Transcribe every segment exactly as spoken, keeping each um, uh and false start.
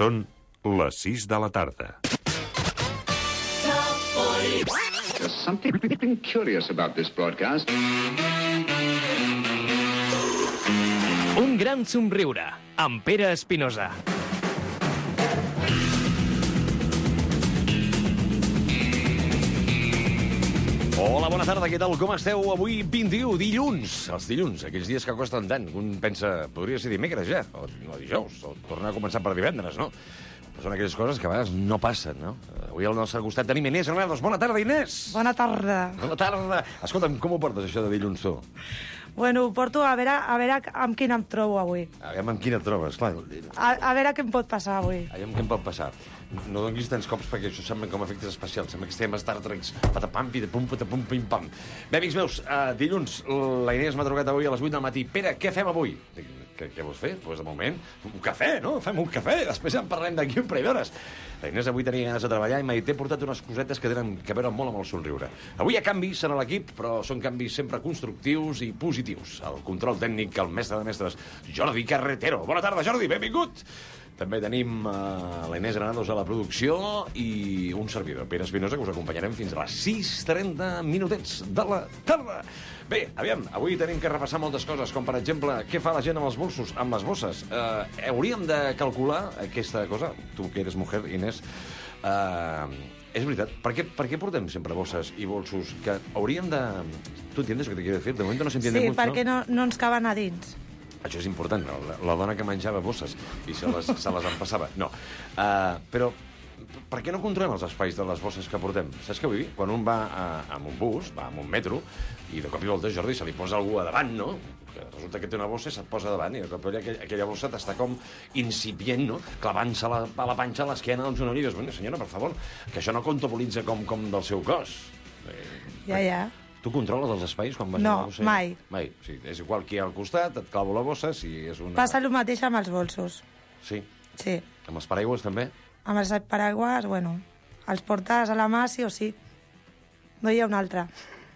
Són les sis de la tarda. There's something curious about this broadcast. Un gran somriure, amb Pere Espinosa. Hola, bona tarda, què tal? Com esteu? Avui vint-i-u, dilluns. Els dilluns, aquells dies que costen tant. Un pensa, podria ser dimecres ja, o no, dijous, o tornar a començar per divendres, no? Però són aquelles coses que a vegades no passen, no? Avui al nostre costat tenim Inés Granados. Bona tarda, Inés! Bona tarda. Bona tarda. Escolta'm, com ho portes, això de dilluns, tu? Bueno, ho porto a veure, a veure amb quina em trobo avui. A veure amb quina et trobes, clar. A, a veure què em pot passar avui. Aviam què em pot passar. No donis tants cops perquè això sembla com efectes especials. Sembla que estem a Star Trek. Patapam, pitapum, patapum, pim-pam. Bé, amics meus, uh, dilluns, la Inés m'ha trucat avui a les vuit del matí. Pere, què fem avui? Dic, què, què vols fer? Doncs pues de moment, un cafè, no? Fem un cafè, després ja en parlem d'aquí un parell d'hores. La Inés avui tenia ganes de treballar i m'ha dit, t'he portat unes cosetes que tenen que veure molt amb el somriure. Avui hi ha canvis en l'equip, però són canvis sempre constructius i positius. El control tècnic, el mestre de mestres, Jordi Carretero. Bona tarda, Jordi, benvingut! També tenim uh, la Inés Granados a la producció i un servidor, Pere Espinosa, que us acompanyarem fins a les sis i trenta minutets de la tarda. Bé, aviam, avui tenim que repassar moltes coses, com per exemple, què fa la gent amb els bolsos, amb les bosses. Uh, hauríem de calcular aquesta cosa, tu que eres mujer, Inés, uh, és veritat, per què, per què portem sempre bosses i bolsos que hauríem de... Tu entiendes el que te quiero decir? De moment no s'entiende Sí, mucho, perquè no, no ens caben a dins. Això és important, no? la, la dona que menjava bosses i se les, se les empassava. No, uh, però per què no controlem els espais de les bosses que portem? Saps què vull dir? Quan un va a, amb un bus, va amb un metro, i de cop i volta, Jordi, se li posa algú a davant, no? Que resulta que té una bossa i se't posa davant, i de cop i volta aquella, aquella bossa t'està com incipient, no? Clavant-se la, a la panxa a l'esquena del genoll i dius, bueno, senyora, per favor, que això no comptabilitza com, com del seu cos. Eh, Ja, ja. Tu controles els espais quan vas No, a la bossa? mai. Mai. O sigui, és igual qui al costat, et clavo la bossa, si és una... Passa el mateix amb els bolsos. Sí. Sí. Amb els paraigües, també? Amb els paraigües, bueno, els portes a la mà sí o sí. No hi ha una altra.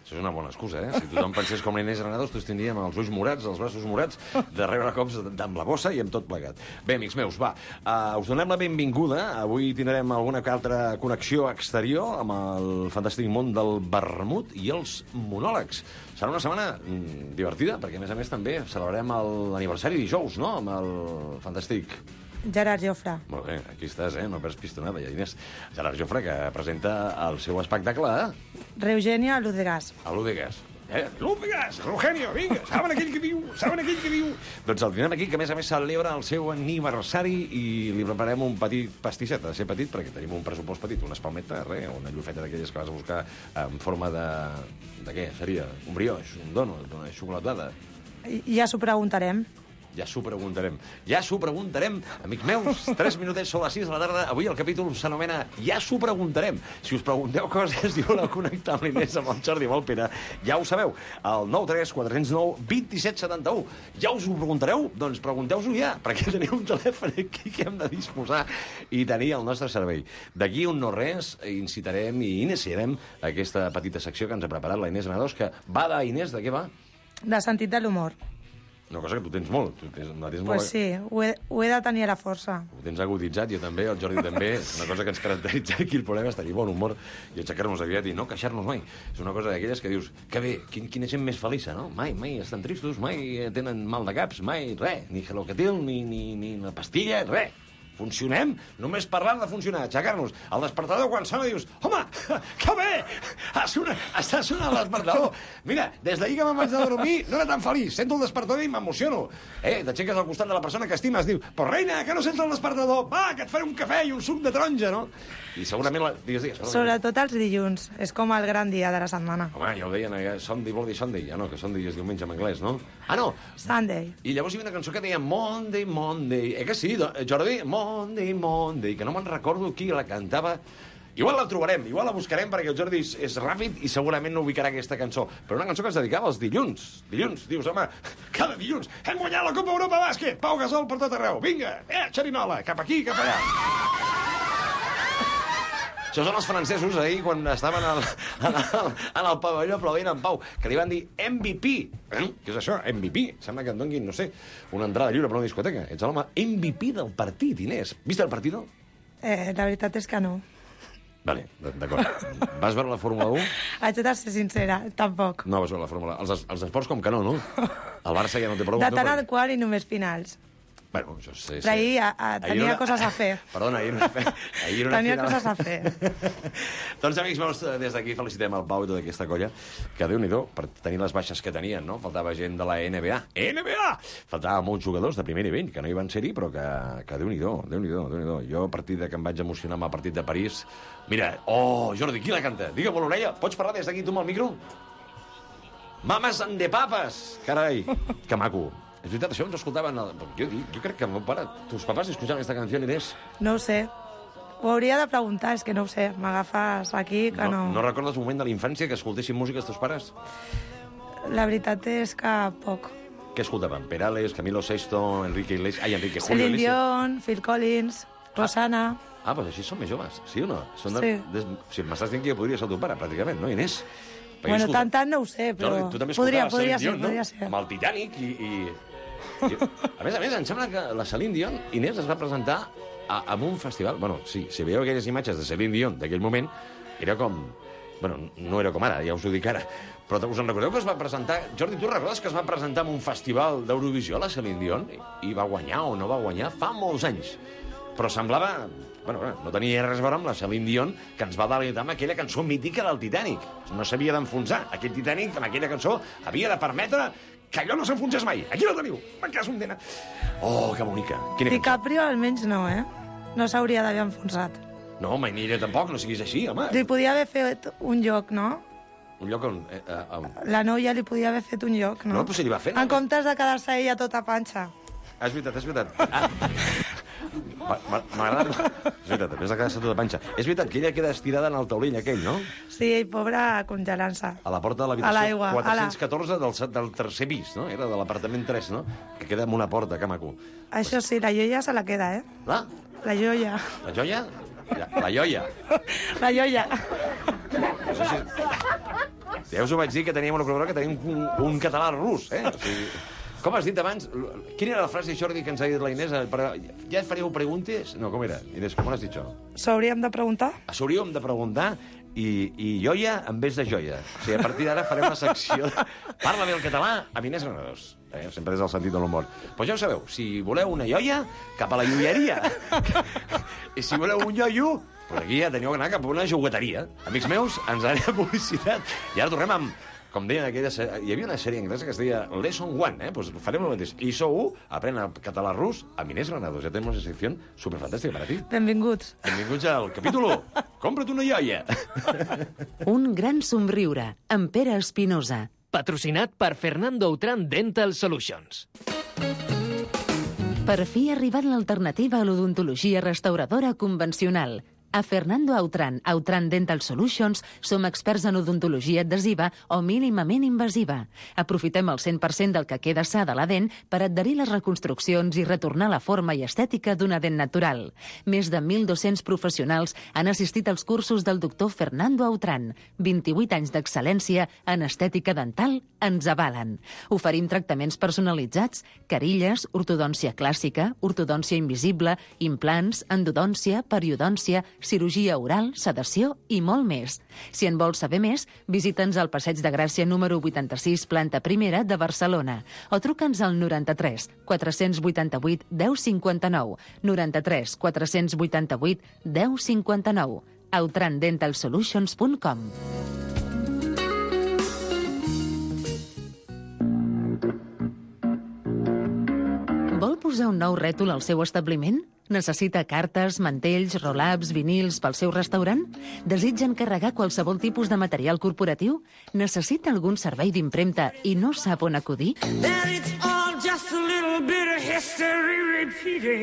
Això és una bona excusa, eh? Si tothom pensés com l'Inés Granados, tots tindríem els ulls morats, els braços morats, de rebre cops amb la bossa i amb tot plegat. Bé, amics meus, va, uh, us donem la benvinguda. Avui tindrem alguna altra connexió exterior amb el fantàstic món del vermut i els monòlegs. Serà una setmana mm, divertida, perquè a més a més també celebrarem l'aniversari dijous, no?, amb el fantàstic... Gerard Jofre. Molt bé, aquí estàs, eh? No perds pistonada, ja, Inés. Gerard Jofre, que presenta el seu espectacle a... Reugenia Ludegas. a l'Udegas. Eh? L'Udegas! Eugenio, vinga! Saben aquell que diu? Saben aquell que diu? Doncs el tindrem aquí, que a més a més celebra el seu aniversari i li preparem un petit pastisset. Ha de ser petit perquè tenim un pressupost petit, una espalmeta, res, una llufeta d'aquelles que vas a buscar en forma de... de què seria? Un brioix, un donut, una xocolatada. I, ja s'ho preguntarem. Ja s'ho preguntarem. Ja s'ho preguntarem. Amics meus, tres minutets sobre les sis de la tarda. Avui el capítol s'anomena Ja s'ho preguntarem. Si us pregunteu coses i voleu connectar amb l'Inés, amb el Jordi, amb el Pere, ja ho sabeu. El nou tres quatre zero nou dos set set u. Ja us ho preguntareu? Doncs pregunteu-s'ho ja, perquè teniu un telèfon aquí que hem de disposar i tenir al nostre servei. D'aquí un no res, incitarem i iniciarem aquesta petita secció que ens ha preparat la Inés Granados, que va de, Inés, de què va? De sentit de l'humor. Una cosa que tu tens molt. Tu tens, la tens Pues molt... sí, ho he, ho he de tenir a la força. Ho tens aguditzat, jo també, el Jordi també. És una cosa que ens caracteritza aquí, el problema és tenir bon humor i aixecar-nos aviat i no queixar-nos mai. És una cosa d'aquelles que dius, que bé, quin, quina gent més feliça, no? Mai, mai estan tristos, mai tenen mal de caps, mai res, ni Gelocatil, ni, ni, ni la pastilla, res. Funcionem només parlant de funcionar, aixecar-nos. El despertador, quan sona, dius, home, que bé! Sona, està sonant el despertador. Mira, des d'ahir que me'n vaig de dormir no era tan feliç. Sento el despertador i m'emociono. Eh, t'aixeques al costat de la persona que estimes, diu, però reina, que no sents el despertador? Va, que et faré un cafè i un suc de taronja, no? I segurament... La... Digues, digues. Sobretot els dilluns. És com el gran dia de la setmana. Home, ja ho deien, eh? Sunday, Bloody Sunday. Ja no, que Sunday és diumenge en anglès, no? Ah, no! Sunday. I llavors hi havia una cançó que deia Monday, Monday. Eh que sí, Jordi? Monday, Monday, que no me'n recordo qui la cantava. Igual la trobarem, igual la buscarem perquè el Jordi és, és ràpid i segurament no ubicarà aquesta cançó. Però una cançó que es dedicava als dilluns. Dilluns, dius, home, cada dilluns hem guanyat la Copa Europa Bàsquet. Pau Gasol per tot arreu. Vinga, eh, xerinola, cap aquí, cap allà. Això són els francesos ahir, quan estaven al, en, el, en el pavelló aplaudint en Pau, que li van dir M V P. Eh? Què és això, M V P? Sembla que et donguin, no sé, una entrada lliure per una discoteca. Ets l'home M V P del partit, Inés. Vist el partit? Eh, la veritat és que no. Vale, d'acord. Vas veure la Fórmula u? Haig de ser sincera, tampoc. No vas veure la Fórmula u. Els, els esports com que no, no? El Barça ja no té prou... De tant al qual i només finals. Bueno, això sé... Però ahir a, a, tenia una... coses a fer. Perdona, ahir una, ahir una tenia final... coses a fer. Doncs, amics meus, des d'aquí felicitem el Pau i tota aquesta colla, que Déu-n'hi-do, per tenir les baixes que tenien, no? Faltava gent de la N B A. N B A! Faltava molts jugadors de primer nivell, que no hi van ser-hi, però que, que Déu-n'hi-do, Déu-n'hi-do, Déu-n'hi-do. Jo, a partir de que em vaig emocionar amb el partit de París... Mira, oh, Jordi, qui la canta? Digue-m'ho a l'orella. Pots parlar des d'aquí tu amb el micro? Mames and de papes! Carai, que maco. És veritat, això ens escoltaven... El... Jo, jo crec que el meu pare, tus papás escuchaven aquesta canció, Inés. No ho sé. Ho hauria de preguntar, és que no ho sé. M'agafes aquí, que no... No, no recordes un moment de la infància que escoltessin música els teus pares? La veritat és que poc. Què escoltaven? Perales, Camilo Sesto, Enrique Iglesias... Ai, Enrique Julio Celine Iglesias. Dion, Phil Collins, Rosana... Ah, doncs així són més joves, sí o no? Són de... Sí. Des... Si m'estàs dient que jo podria ser el teu pare, pràcticament, no, Inés? Perquè Bueno, escolta... tant, tant no ho sé, però... Jordi, tu també podria, escoltaves podria Celine ser, Dion, podria no? ser. Amb el Titanic i... i... I, a més a més, em sembla que la Celine Dion, Inés, es va presentar a, a un festival... Bueno, sí, si veieu aquelles imatges de Celine Dion d'aquell moment, era com... Bueno, no era com ara, ja us ho dic ara. Però us en recordeu que es va presentar... Jordi, tu recordes que es va presentar en un festival d'Eurovisió, la Celine Dion? I va guanyar o no va guanyar fa molts anys. Però semblava... Bueno, no tenia res a veure amb la Celine Dion, que ens va deleitar amb aquella cançó mítica del Titanic. No s'havia d'enfonsar. Aquell Titanic, amb aquella cançó, havia de permetre que allò no s'enfonsés mai. Aquí la teniu. En cas un dena. Oh, que bonica. Quina DiCaprio almenys no, eh? No s'hauria d'haver enfonsat. No, mai ni ella tampoc, no siguis així, home. Li podia haver fet un lloc, no? Un lloc on... Eh, eh, on... La noia li podia haver fet un lloc, no? No, però si li va fer... En comptes de quedar-se ella tota panxa. Ah, és veritat, és veritat. Ah. M'agrada... És veritat, a més de quedar-se tota panxa. És veritat que ella queda estirada en el taulell aquell, no? Sí, pobra, congelant-se. A la porta de A l'habitació l'aigua, quatre-cents catorze del, del tercer pis, no? Era de l'apartament tres, no? Que queda amb una porta, que maco. Això sí, la joia se la queda, eh? La? La joia. La joia? La, la joia. La joia. Això sí. Ja us ho vaig dir, que teníem una col·laboradora que tenim un, un català rus, eh? O sigui, com has dit abans? Quina era la frase, Jordi, que ens ha dit la Inés? Ja faríeu preguntes? No, com era? Inés, com has dit això? S'hauríem de preguntar? S'hauríem de preguntar i, i joia en vez de joia. O sigui, a partir d'ara farem la secció de... Parla bé el català amb Inés Granados. Eh? Sempre és el sentit de l'humor. Però ja ho sabeu, si voleu una joia, cap a la joieria. I si voleu un joio, pues aquí ja teniu que anar cap a una jugueteria. Amics meus, ens anem a publicitat. I ara tornem amb... Com deien, aquella... hi havia una sèrie anglesa que es deia Lesson One, eh? Pues farem el mateix. I sou u, aprèn el català rus amb Inés Granados. Ja tenim una secció superfantàstica per a ti. Benvinguts. Benvinguts al capítol u. Compra't una joia. Un gran somriure, amb Pere Espinosa. Patrocinat per Fernando Outram Dental Solutions. Per fi ha arribat l'alternativa a l'odontologia restauradora convencional. A Fernando Outram, Outram Dental Solutions, som experts en odontologia adhesiva o mínimament invasiva. Aprofitem el cent per cent del que queda sa de la dent per adherir les reconstruccions i retornar la forma i estètica d'una dent natural. Més de mil dos-cents professionals han assistit als cursos del doctor Fernando Outram. vint-i-vuit anys d'excel·lència en estètica dental ens avalen. Oferim tractaments personalitzats, carilles, ortodòncia clàssica, ortodòncia invisible, implants, endodòncia, periodòncia, cirurgia oral, sedació i molt més. Si en vols saber més, visita'ns al Passeig de Gràcia número vuitanta-sis, planta primera de Barcelona, o truca'ns al noranta-tres quatre-cents vuitanta-vuit deu cinquanta-nou, noranta-tres quatre-cents vuitanta-vuit deu cinquanta-nou, outram dental solutions punt com. Vol posar un nou rètol al seu establiment? Necessita cartes, mantells, roll-ups, vinils pel seu restaurant? Desitja encarregar qualsevol tipus de material corporatiu? Necessita algun servei d'impremta i no sap on acudir?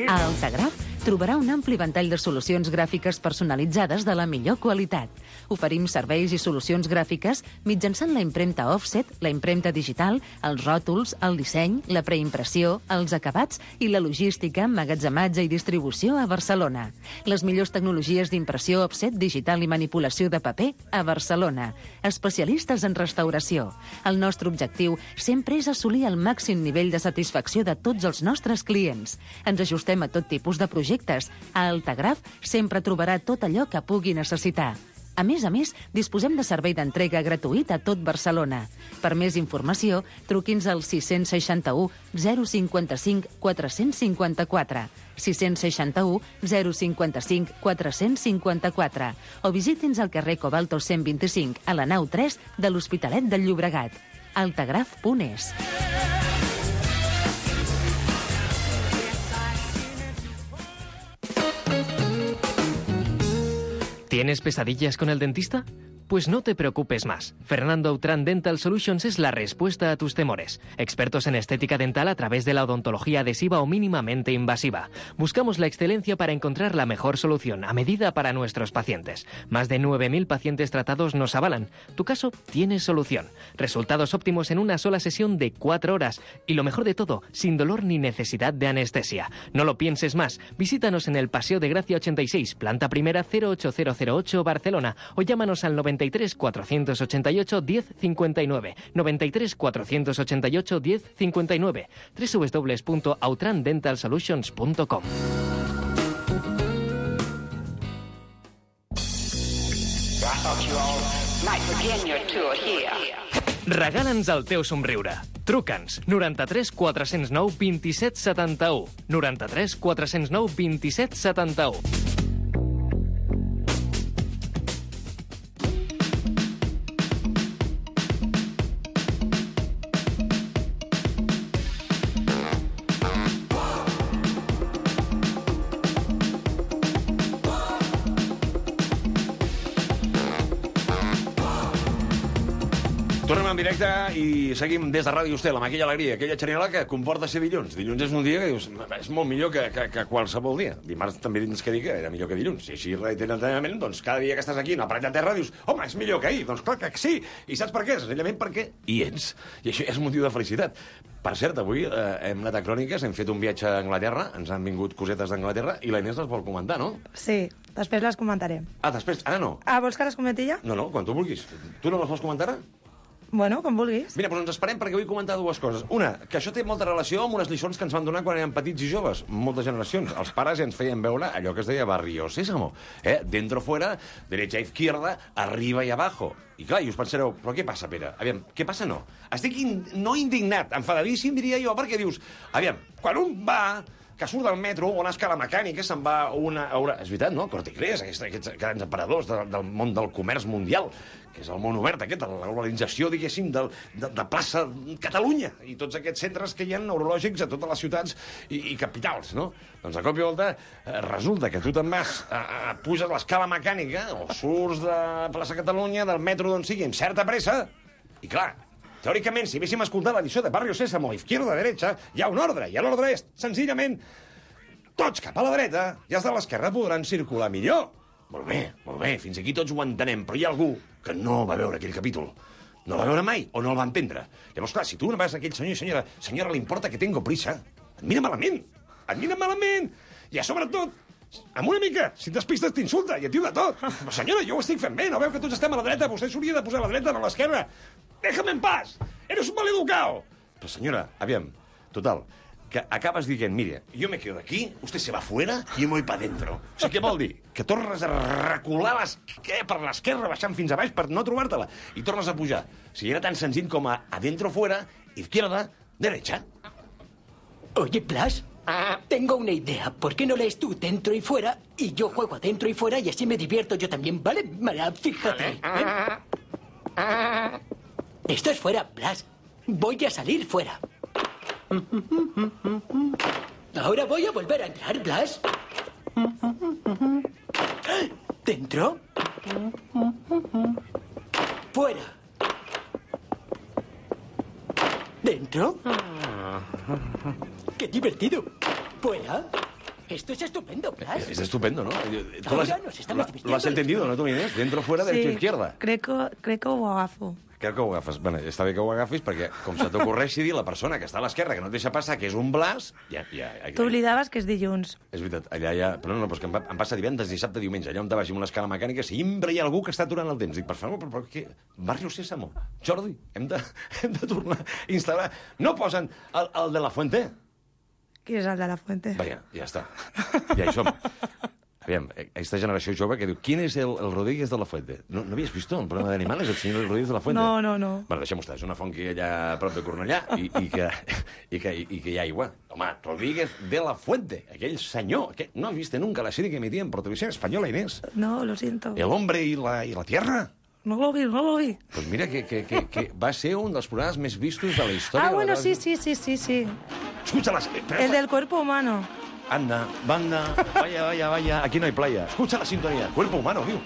A Altagraf trobarà un ampli ventall de solucions gràfiques personalitzades de la millor qualitat. Oferim serveis i solucions gràfiques mitjançant la impremta offset, la impremta digital, els ròtols, el disseny, la preimpressió, els acabats i la logística, emmagatzematge i distribució a Barcelona. Les millors tecnologies d'impressió offset, digital i manipulació de paper a Barcelona. Especialistes en restauració. El nostre objectiu sempre és assolir el màxim nivell de satisfacció de tots els nostres clients. Ens ajustem a tot tipus de projectes. A Altagraf sempre trobarà tot allò que pugui necessitar. A més a més, disposem de servei d'entrega gratuït a tot Barcelona. Per més informació, truqui'ns al sis sis u, zero cinquanta-cinc, quatre-cents cinquanta-quatre, sis sis u, zero cinquanta-cinc, quatre-cents cinquanta-quatre o visiti'ns al carrer Cobalto cent vint-i-cinc, a la nau tres de l'Hospitalet del Llobregat. altagraf punt es. ¿Tienes pesadillas con el dentista? Pues no te preocupes más. Fernando Autrán Dental Solutions es la respuesta a tus temores. Expertos en estética dental a través de la odontología adhesiva o mínimamente invasiva. Buscamos la excelencia para encontrar la mejor solución a medida para nuestros pacientes. Más de nueve mil pacientes tratados nos avalan. Tu caso tiene solución. Resultados óptimos en una sola sesión de cuatro horas. Y lo mejor de todo, sin dolor ni necesidad de anestesia. No lo pienses más. Visítanos en el Paseo de Gracia ochenta y seis, planta primera cero ocho cero cero ocho, Barcelona. O llámanos al noventa y tres, cuatrocientos ochenta y ocho, diez cincuenta y nueve. noventa y tres, cuatrocientos ochenta y ocho, diez cincuenta y nueve. doble u doble u doble u punto autran dental solutions punto com. Regala'ns el teu somriure. Truca'ns noranta-tres quatre-cents nou vint-i-set setanta-u. noranta-tres quatre-cents nou vint-i-set setanta-u. Tornem en directe i seguim des de Ràdio Estel amb aquella alegria, aquella xerinola que comporta ser dilluns. Dilluns és un dia que dius, és molt millor que, que, que qualsevol dia. Dimarts també tens que dir que era millor que dilluns. I així reiteradament, doncs cada dia que estàs aquí en el paret de terra dius, home, és millor que ahir. Doncs clar que sí. I saps per què? Senzillament perquè hi ets. I això és motiu de felicitat. Per cert, avui eh, hem anat a Cròniques, hem fet un viatge a Anglaterra, ens han vingut cosetes d'Anglaterra i la Inés les vol comentar, no? Sí, després les comentaré. Ah, després? Ara no? Ah, vols que les comenti ja? No, no, quan tu vulguis. Tu no les vols comentar ara? Bueno, com vulguis. Mira, doncs ens esperem perquè vull comentar dues coses. Una, que això té molta relació amb unes lliçons que ens van donar quan érem petits i joves, moltes generacions. Els pares ens feien veure allò que es deia Barrio Sésamo. Eh? Dentro, fuera, derecha, izquierda, arriba i abajo. I clar, i us pensareu, però què passa, Pere? Aviam, què passa no? Estic in... no indignat, enfadadíssim, diria jo, perquè dius, aviam, quan un va que surt del metro o una escala mecànica se'n va a una... A una... És veritat, no? Corte Inglés, aquests, aquests grans aparadors de, del món del comerç mundial, que és el món obert aquest, la globalització, diguéssim, de, de, de plaça Catalunya i tots aquests centres que hi ha neurològics a totes les ciutats i, i capitals, no? Doncs a cop i volta eh, resulta que tu te'n vas, a, a, puges l'escala mecànica o surts de plaça Catalunya, del metro d'on sigui, amb certa pressa, i clar, teòricament, si haguéssim escoltat la lliçó de Barrio Sésamo, izquierda, derecha, hi ha un ordre, i l'ordre és, senzillament, tots cap a la dreta i els de l'esquerra podran circular millor. Molt bé, molt bé, fins aquí tots ho entenem, però hi ha algú que no va veure aquell capítol. No el va veure mai o no el va entendre. Llavors, clar, si tu no vas a aquell senyor i senyora, senyora, li importa que tengo prisa, et mira malament, et mira malament, i a sobretot, amb una mica, si et despistes t'insulta i et diu de tot. Però senyora, jo ho estic fent bé, no veu que tots estem a la dreta, vostè s'hauria de posar a la dreta, no a l'esquerra. Déjame en paz, eres un maleducado. Però senyora, aviam, total, que acabes dient, mire, yo me quedo aquí, usted se va fuera y yo me voy para dentro. O sigui, què vol dir? Que tornes a recular les... què? Per l'esquerra, baixant fins a baix per no trobar-te-la. I tornes a pujar. O sigui, era tan senzill com a adentro, fuera, izquierda, derecha. Oye, Blas, tengo una idea. ¿Por qué no lees tú dentro y fuera y yo juego adentro y fuera y así me divierto yo también, ¿vale? Mira, fíjate. ¿eh? Esto es fuera, Blas. Voy a salir fuera. Ahora voy a volver a entrar, Blas. Dentro. Fuera. Dentro. Qué divertido. Fuera. Esto es estupendo, Blas. Es estupendo, ¿no? ¿Tú Ahora lo has, nos estamos lo- vistiendo. lo has entendido, no, tu Inés? Dentro, fuera, derecha, izquierda. crec que, crec que ho agafo. Crec que ho agafes. Bueno, està bé que ho agafis perquè, com se t'ocorreixi dir la persona que està a l'esquerra, que no et deixa passar, que és un Blas, ja... ja, ja T'oblidaves que és dilluns. És veritat, allà hi ha... Però no, no, però és que em, va, em passa divendres, dissabte, diumenge, allà on te vagi amb una escala mecànica, sempre hi ha algú que està aturant el temps. Dic, per favor, però, però què? Barrio Sésamo. Jordi, hem de, hem de tornar a instal·lar... No posen el, el de la Fuente? Qui és el de la Fuente? Vaja, ja està. Ja hi som. Aviam, aquesta generació jove que diu, ¿quién es el, el Rodríguez de la Fuente? ¿No, ¿No habías visto el programa de animales, el señor Rodríguez de la Fuente? No, no, no. Bueno, deixem-ho estar, és una font que hi ha allà a prop de Cornellà i, i, que, i, que, i que hi ha aigua. Home, Rodríguez de la Fuente, aquell senyor, que no has vist nunca la serie que emitien por televisión española, Inés. No, lo siento. El hombre y la, y la tierra. No lo vi, no lo vi. Pues mira que, que, que, que va ser un dels programes més vistos de la història. Ah, de bueno, la... sí, sí, sí, sí, sí. Escúchalas. El del cuerpo humano. Anda, banda, vaya, vaya, vaya. Aquí no hay playa. Escucha la sintonía. Cuerpo humano, tío.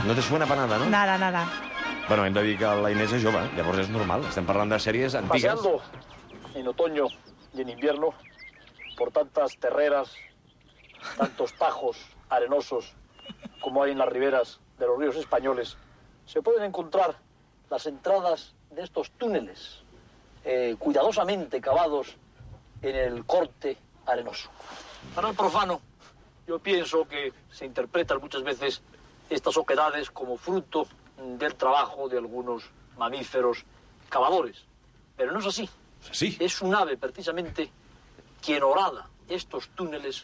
No te suena para nada, ¿no? Nada, nada. Bueno, hem de dir que la Inés és jove, llavors és normal. Estem parlant de sèries antigues. Paseando en otoño y en invierno por tantas terreras, tantos tajos arenosos como hay en las riberas de los ríos españoles, se pueden encontrar las entradas de estos túneles eh, cuidadosamente cavados en el corte arenoso. Para el profano, yo pienso que se interpretan muchas veces estas oquedades como fruto del trabajo de algunos mamíferos cavadores. Pero no es así. Sí. Es un ave, precisamente, quien horada estos túneles,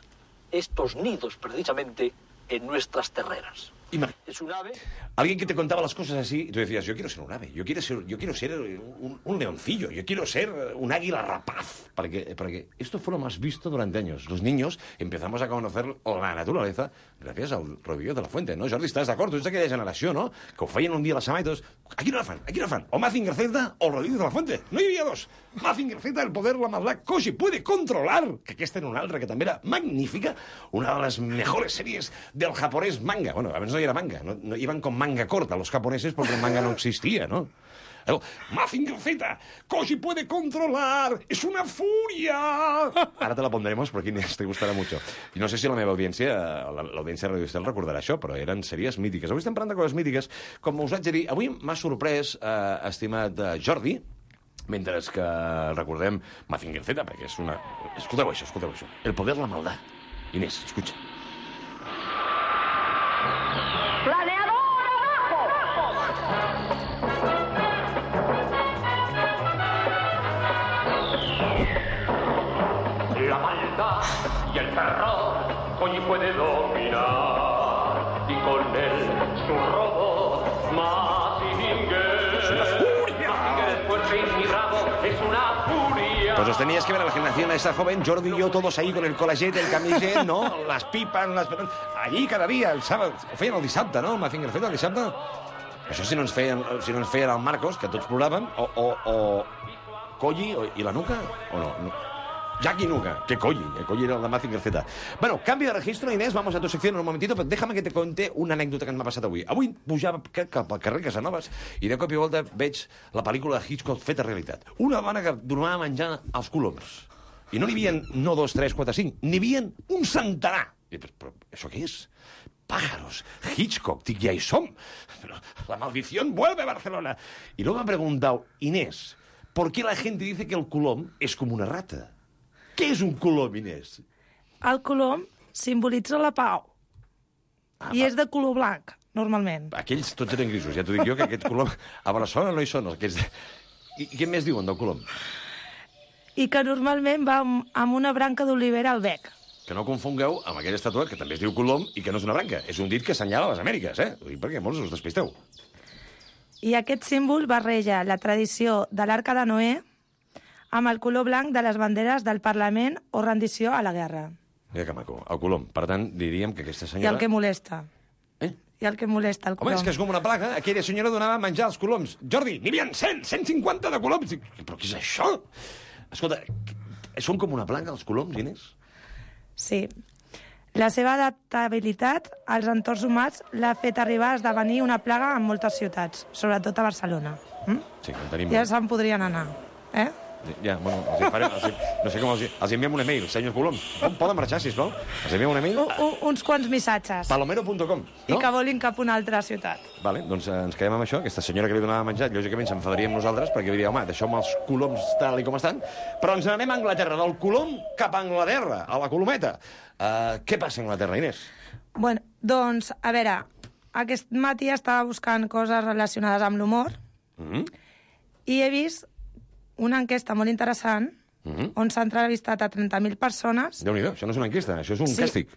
estos nidos, precisamente, en nuestras terreras. Ima- Es un ave... Alguien que te contaba las cosas así y tú decías, yo quiero ser un ave, yo quiero ser, yo quiero ser un, un leoncillo, yo quiero ser un águila rapaz. Para que, para que esto fue lo más visto durante años. Los niños empezamos a conocer la naturaleza gràcies al Rodríguez de la Fuente, no? Jordi, estàs d'acord? Tu ets d'aquella generació, no? Que ho feien un dia a la setmana i tots... Aquí no la fan, aquí no la fan. O Mazinger Z o Rodríguez de la Fuente. No hi havia dos. Mazinger Z, el poder, la maldad, Koji puede controlar. Que aquesta era una altra que també era magnífica. Una de les mejores series del japonès manga. Bueno, abans no hi era manga. No, no iban con manga corta los japoneses porque el manga no existía, ¿no? El Mazinger Z, Koji puede controlar, es una furia. Ara te la pondremos porque Inés te gustarà mucho. I no sé si la meva audiència, l'audiència de Radio Estel recordarà això, però eren sèries mítiques. Avui estem parlant de coses mítiques. Com us haig de dir, avui m'ha sorprès, eh, estimat eh, Jordi, mentre que recordem Mazinger Z, perquè és una... Escolteu això, escolteu això. El poder, la maldad. Inés, escucha. La maldad y el terror Koji puede dominar y con él su robot Mazinger. Es una furia. Mazinger es fuerte y mi rabo es una furia. Pues os teníais que ver a la generación esa joven, Jordi y yo, todos ahí con el collaget, el camiset, ¿no? Las pipas, las... Allí cada dia, el sábado, ho feien el dissabte, no? El Mazinger Z, el dissabte. Això si no ens feien, si no ens feien el Marcos, que tots ploràvem, o, o, o Koji o, i la Nuca, o no? no. Jackie Nuca, que Koji, el Koji era el de Mazinger Z. Bueno, cambio de registro, Inés, vamos a tu sección en un momentito, però déjame que te conte una anècdota que m'ha passat avui. Avui pujava cap al carrer Casanovas i de cop i volta veig la pel·lícula de Hitchcock feta realitat. Una dona que dormava menjant els coloms. I no n'hi havia no dos, tres, quatre, cinc, n'hi havia un centenar. I, però, però això què és? Pájaros, Hitchcock, dic, ja hi som. Pero la maldición vuelve a Barcelona. Y luego me ha preguntado, Inés, ¿por qué la gente dice que el colom es como una rata? Què és un colom, Inés? El colom simbolitza la pau. Ah, I va. és de color blanc, normalment. Aquells tots eren grisos, ja t'ho dic jo, que aquest colom... A Barcelona no hi són, aquests... I, I què més diuen del colom? I que normalment va amb, amb una branca d'olivera al bec. Que no confongueu amb aquella estàtua que també es diu colom i que no és una branca. És un dit que assenyala les Amèriques, eh? Ho dic perquè molts us despisteu. I aquest símbol barreja la tradició de l'Arca de Noé amb el color blanc de les banderes del Parlament o rendició a la guerra. Mira que maco, el colom. Per tant, diríem que aquesta I senyora... el que molesta. Eh? I el que molesta, el Home, colom. és que és com una plaga. Aquella senyora donava a menjar els coloms. Jordi, n'hi havia cent, cent cinquanta de coloms. Dic, però què és això? Escolta, són com una plaga, els coloms, Inés? Sí. La seva adaptabilitat als entorns humans l'ha fet arribar a esdevenir una plaga en moltes ciutats, sobretot a Barcelona. Mm? Sí, en tenim... Ja se'n podrien anar, eh? Ja, bueno, els farem, els, no sé com els, els enviem un e-mail, senyors Colom. Poden marxar, sisplau? Els enviem un e-mail? U, u, uns quants missatges. palomero punt com, no? I que volin cap a una altra ciutat. Vale, doncs eh, ens quedem amb això. Aquesta senyora que li donava menjar, lògicament s'enfadaria amb nosaltres perquè diria, home, deixeu-me els coloms tal i com estan. Però ens n'anem a Anglaterra, del colom cap a Anglaterra, a la colometa. Uh, què passa a Anglaterra, Inés? Bueno, doncs, a veure, aquest matí estava buscant coses relacionades amb l'humor Mm-hmm. i he vist una enquesta molt interessant Mm-hmm. on s'ha entrevistat a trenta mil persones Déu-n'hi-do, això no és una enquesta, això és un Sí. càstig.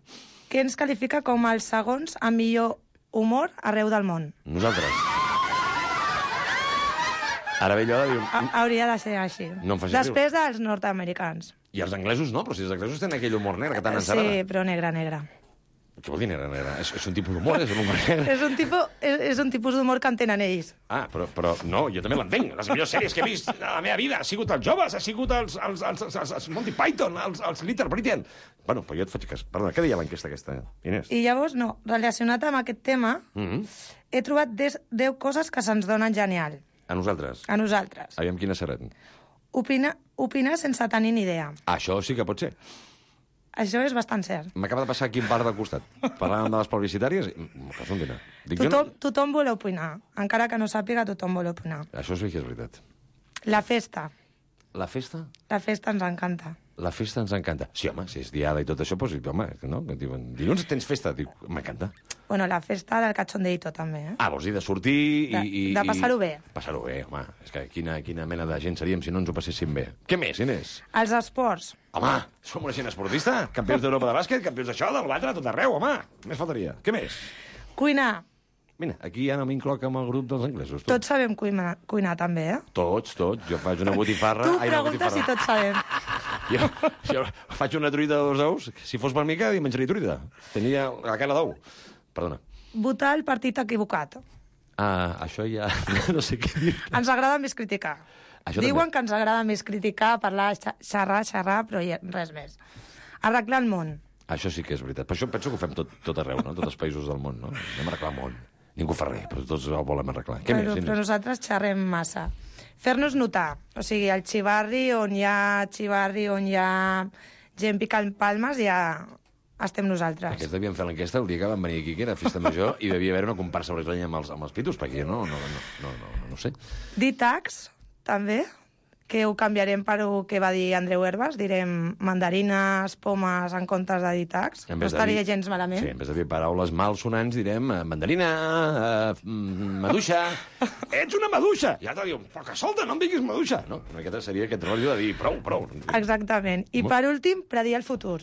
que ens qualifica com els segons amb millor humor arreu del món. Nosaltres. Ara ve allò de dir... Ha, hauria de ser així. No em facis Després dels nord-americans. I els anglesos no, però si els anglesos tenen aquell humor negre que tant ens agrada. Sí, però negre, negre. Què vol dir negre, negre? És, és un tipus d'humor, és un humor negre. És un, tipus, és, és un tipus d'humor que entenen ells. Ah, però, però no, jo també l'entenc. Les millors sèries que he vist a la meva vida ha sigut els joves, ha sigut els, els, els, els, els, els Monty Python, els, els Little Britain. Bueno, però jo et faig cas. Perdona, què deia l'enquesta aquesta, Inés? I llavors, no, relacionat amb aquest tema, Mm-hmm. he trobat deu coses que se'ns donen genial. A nosaltres. A nosaltres. Aviam quines seran. Opina, opinar sense tenir ni idea. Això sí que pot ser. Això és bastant cert. M'acaba de passar aquí un bar del costat. Parlàvem de les publicitàries i m'ho passo un dinar. Dic, jo Tothom, no... tothom vol opinar. Encara que no sàpiga, tothom vol opinar. Això sí que és veritat. La festa. La festa? La festa ens encanta. La festa ens encanta. Sí, home, si és diada i tot això, doncs, home, no? Que diuen, dilluns tens festa? Dic, m'encanta. Bueno, la festa del cachondeito, també, eh? Ah, vols dir de sortir i... De- i de passar-ho i... bé. Passar-ho bé, home. És que quina, quina mena de gent seríem si no ens ho passéssim bé. Què més, Inés? Els esports. Home, som una gent esportista. Campions d'Europa de bàsquet, campions d'això, del l'altre, tot arreu, home. Més faltaria. Què més? Cuinar. Mira, aquí ja no m'incloc amb el grup dels anglesos. Tu. Tots sabem cuinar, cuinar també, eh? Tots, tots. Jo faig una botifarra... Tu Ai, una preguntes si botifarra. tots sabem. Jo, jo faig una truita de dos ous. Si fos per mi, cada dia menjaria truita. Tenia la cara d'ou. Perdona. Votar el partit equivocat. Ah, això ja... No sé què dir. Ens agrada més criticar. Això Diuen també. que ens agrada més criticar, parlar, xa- xerrar, xerrar, però ja, res més. Arreglar el món. Això sí que és veritat. Per això penso que ho fem tot, tot arreu, no? Tots els països del món, no? Anem a arreglar el món. Ningú fa res, però tots ho volem arreglar. Què però, més, però Inés? nosaltres xerrem massa. Fer-nos notar. O sigui, el xivarri on hi ha xivarri, on hi ha gent picant palmes, ja estem nosaltres. Aquests devien fer l'enquesta el dia que van venir aquí, que era festa major, i devia haver una comparsa brasileña amb els, amb els pitos, perquè jo no, no, no, no, no, no, no sé. Dir tags, també, que ho canviarem per el que va dir Andreu Herbas. Direm mandarines, pomes, en comptes de dir tags. En No vez de estaria dir- gens malament. Sí, en vez de dir paraules malsonants, direm eh, mandarina, eh, mm, maduixa... Ets una maduixa! I l'altre diu, però que solta, no em diguis maduixa! No, una miqueta seria aquest rotllo de dir prou, prou. Exactament. I Mo- per últim, predir el futur.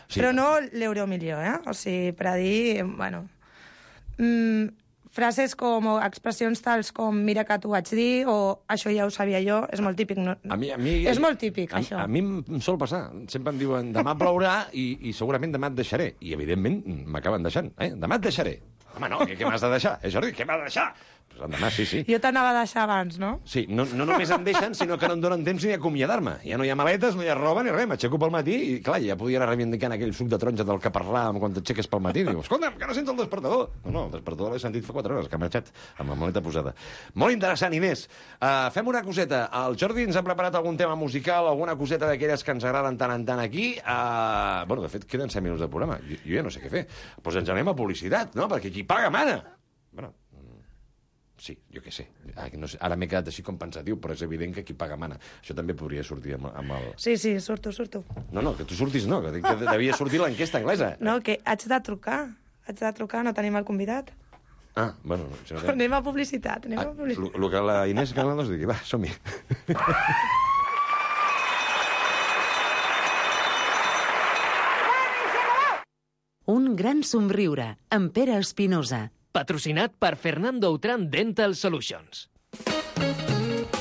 Sí. Però no l'euromilió, eh? O sigui, predir, bueno... Mm, frases com, o expressions tals com mira que t'ho vaig dir, o això ja ho sabia jo, és molt típic. No? A mi, a mi, És molt típic, a, això. A mi em sol passar. Sempre em diuen, demà plourà i, i segurament demà et deixaré. I, evidentment, m'acaben deixant. Eh? Demà et deixaré. Home, no, què, què m'has de deixar? Eh, Jordi, què m'has de deixar? Pues demà, sí, sí. Jo t'anava a deixar abans, no? Sí, no, no només em deixen, sinó que no em donen temps ni d'acomiadar-me. Ja no hi ha maletes, no hi ha roba ni res. M'aixeco pel matí i, clar, ja podia anar reivindicant aquell suc de taronja del que parlàvem quan t'aixeques pel matí. Diu, escolta'm, que no sents el despertador. No, no, el despertador l'he sentit fa quatre hores, que ha marxat amb la maleta posada. Molt interessant, Inés. Uh, fem una coseta. El Jordi ens ha preparat algun tema musical, alguna coseta d'aquelles que ens agraden tant en tant aquí. Uh, bueno, de fet, queden set minuts de programa. Jo, jo ja no sé què fer. Doncs pues ens anem a publicitat, no? Perquè qui paga mana. Bueno, sí, jo què sé. No sé. Ara m'he quedat així com pensatiu, però és evident que qui paga mana. Això també podria sortir amb, amb el... Sí, sí, surto, surto. No, no, que tu surtis no, que, que devia sortir l'enquesta anglesa. No, que haig de trucar. Haig de trucar, no tenim el convidat. Ah, bueno... Si no té... Anem a publicitat, anem Ah, a publicitat. el que la Inés Galanos digui, va, som-hi. Un gran somriure, amb Pere Espinosa. Patrocinat per Fernando Outram Dental Solutions.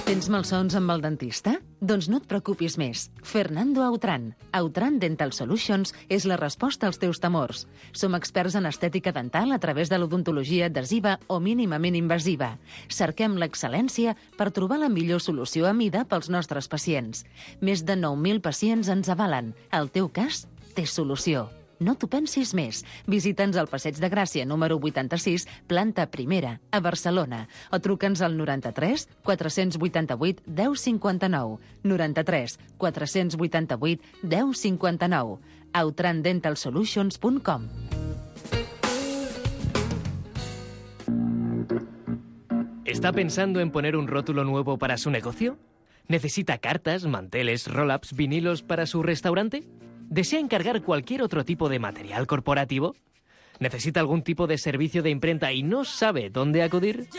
Tens malsons amb el dentista? Doncs no et preocupis més. Fernando Outram. Outram Dental Solutions és la resposta als teus temors. Som experts en estètica dental a través de l'odontologia adhesiva o mínimament invasiva. Cerquem l'excel·lència per trobar la millor solució a mida pels nostres pacients. Més de nou mil pacients ens avalen. El teu cas té solució. No t'ho pensis més. Visita'ns al Passeig de Gràcia, número vuitanta-sis, planta primera, a Barcelona. O truca'ns al noranta-tres quatre-cents vuitanta-vuit deu cinquanta-nou. noranta-tres quatre-cents vuitanta-vuit deu cinquanta-nou. autran dental solutions punt com. ¿Está pensando en poner un rótulo nuevo para su negocio? ¿Necesita cartas, manteles, roll-ups, vinilos para su restaurante? ¿Desea encargar cualquier otro tipo de material corporativo? ¿Necesita algún tipo de servicio de imprenta y no sabe dónde acudir?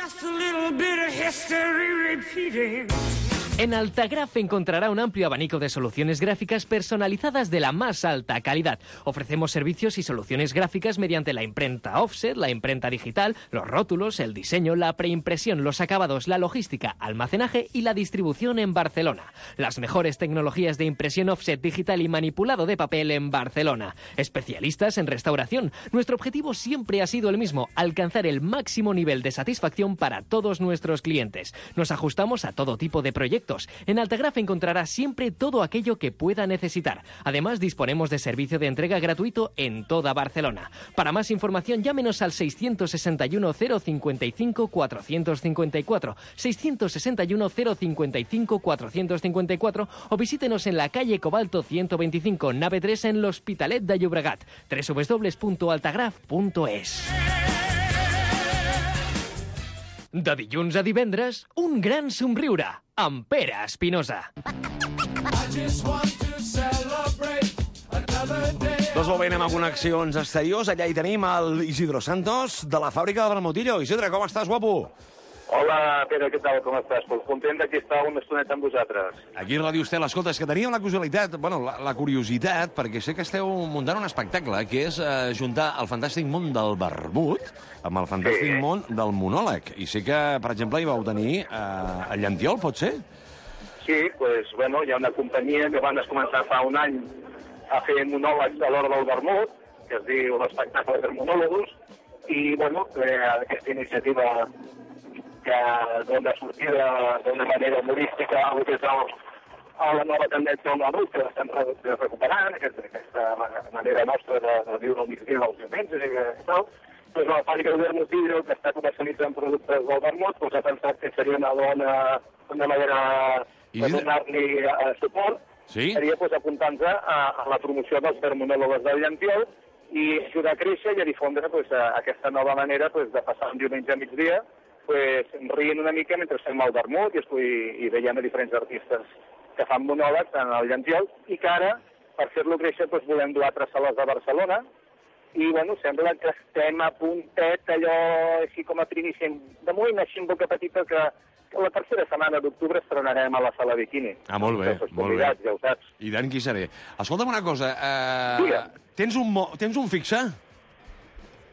En Altagraph encontrará un amplio abanico de soluciones gráficas personalizadas de la más alta calidad. Ofrecemos servicios y soluciones gráficas mediante la imprenta offset, la imprenta digital, los rótulos, el diseño, la preimpresión, los acabados, la logística, almacenaje y la distribución en Barcelona. Las mejores tecnologías de impresión offset digital y manipulado de papel en Barcelona. Especialistas en restauración. Nuestro objetivo siempre ha sido el mismo: alcanzar el máximo nivel de satisfacción para todos nuestros clientes. Nos ajustamos a todo tipo de proyectos. En Altagraph encontrará siempre todo aquello que pueda necesitar. Además, disponemos de servicio de entrega gratuito en toda Barcelona. Para más información, llámenos al seiscientos sesenta y uno cero cincuenta y cinco cuatrocientos cincuenta y cuatro, seiscientos sesenta y uno cero cincuenta y cinco cuatrocientos cincuenta y cuatro o visítenos en la calle Cobalto ciento veinticinco, nave tres, en l'Hospitalet de Llobregat. doble u doble u doble u punto altagraph punto es. De dilluns a divendres, un gran somriure amb Pere Espinosa. Doncs molt bé, anem a connexions exteriors. Allà hi tenim el Isidro Santos, de la fàbrica del Bermutillo. Isidre, com estàs, guapo? Hola, Pere, què tal, com estàs? Pues content d'aquí estar una estoneta amb vosaltres. Aquí a Ràdio Estel, escolta, és que teníem la casualitat, bueno, la, la curiositat, perquè sé que esteu muntant un espectacle, que és eh, juntar el fantàstic món del vermut amb el fantàstic sí. món del monòleg. I sé que, per exemple, hi vau tenir eh, el Llantiol, pot ser? Sí, pues, bueno, hi ha una companyia que van començar fa un any a fer monòlegs a l'hora del vermut, que es diu l'espectacle de monòlegos, i, bueno, eh, aquesta iniciativa que dona sortida d'una manera humorística a que és el, a la nova tendència del vermut, que l'estem recuperant, aquesta, aquesta manera nostra de, de viure el migdia dels diumenges i tal. Doncs la fàbrica de Bermutillo, que està comercialitzant productes del vermut, doncs ha pensat que seria una bona una manera de donar-li uh, suport, sí? seria pues, apuntant-se a, a la promoció dels vermonòlogs del Llantiol i ajudar a créixer i a difondre pues, a, aquesta nova manera pues, de passar un diumenge a migdia pues, rient una mica mentre fem el vermut i, i, i veiem a diferents artistes que fan monòlegs en el Llantiol i que ara, per fer-lo créixer, pues, volem dur a altres sales de Barcelona i, bueno, sembla que estem a puntet, allò així com a primícia, de moment així en boca petita, que, que la tercera setmana d'octubre estrenarem a la sala Bikini. Ah, molt bé, molt bé. Ja ho saps. I tant qui seré. Escolta'm una cosa, eh, tens, un mo tens un fixe?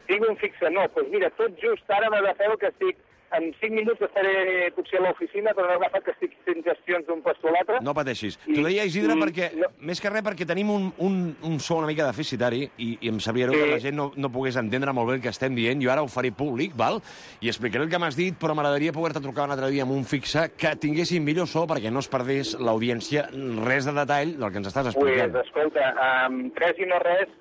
Tinc un fixe, no, doncs mira, tot just ara m'ha de fer que estic en cinc minuts estaré potser a l'oficina, però no m'ha agafat que estic fent gestions d'un puesto a l'altre. No pateixis. T'ho deia, Isidre, i, perquè, no. més que res, perquè tenim un, un, un so una mica deficitari i, i em sabria greu sí. que la gent no, no pogués entendre molt bé el que estem dient. Jo ara ho faré públic, val? I explicaré el que m'has dit, però m'agradaria poder-te trucar un altre dia amb un fixe que tinguéssim millor so perquè no es perdés l'audiència res de detall del que ens estàs explicant. Pues, escolta, amb res i no res,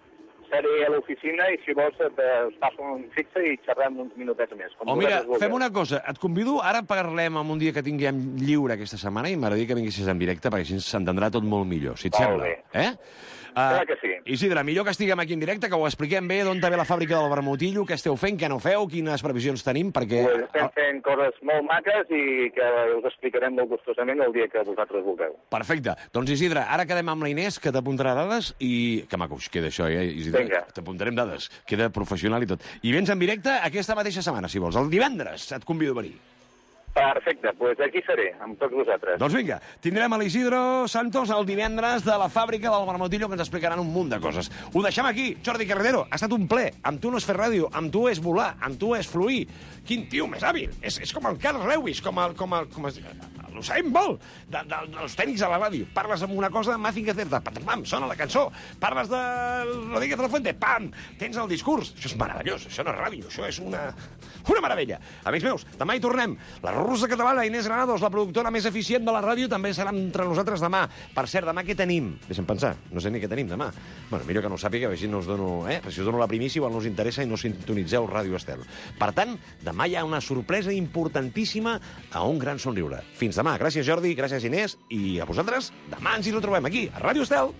seré a l'oficina i, si vols, et, us passo un fixe i xerrem uns minutets més. O mira, fem una cosa, et convido, ara parlem en un dia que tinguem lliure aquesta setmana i m'agradaria que vinguessis en directe perquè així s'entendrà tot molt millor, si et molt sembla. Bé. Eh? Clar que sí. Uh, Isidre, millor que estiguem aquí en directe, que ho expliquem bé, d'on ve la fàbrica del Bermutillo, què esteu fent, què no feu, quines previsions tenim, perquè... Pues estem fent coses molt maques i que us explicarem molt gustosament el dia que vosaltres vulgueu. Perfecte. Doncs, Isidre, ara quedem amb la Inés, que t'apuntarà dades i... Que maco, queda això, eh, Isidre? Vinga. T'apuntarem dades. Queda professional i tot. I vens en directe aquesta mateixa setmana, si vols. El divendres et convido a venir. Perfecte, doncs pues aquí seré, amb tots vosaltres. Doncs vinga, tindrem a l'Isidro Santos el divendres de la fàbrica del Bermutillo, que ens explicaran un munt de coses. Ho deixem aquí. Jordi Carretero, ha estat un ple. Amb tu no és fer ràdio, amb tu és volar, amb tu és fluir. Quin tio més hàbil. És, és com el Carl Lewis, com el... Com el, com el ho sabem molt, de, de, dels tècnics a la ràdio. Parles amb una cosa, Mazinger Certa, pam, sona la cançó. Parles de Rodríguez de la Fuente, pam, tens el discurs. Això és meravellós, això no és ràdio, això és una, una meravella. Amics meus, demà hi tornem. La russa catalana Inés Granados, la productora més eficient de la ràdio, també serà entre nosaltres demà. Per cert, demà què tenim? Deixa'm pensar, no sé ni què tenim demà. Bueno, millor que no ho sàpiga, així no us dono, eh? Si us dono la primícia, igual no us interessa i no sintonitzeu Ràdio Estel. Per tant, demà hi ha una sorpresa importantíssima a un gran somriure. Fins demà. Gràcies, Jordi, gràcies, Inés, i a vosaltres, demà ens hi retrobem aquí, a Ràdio Estel.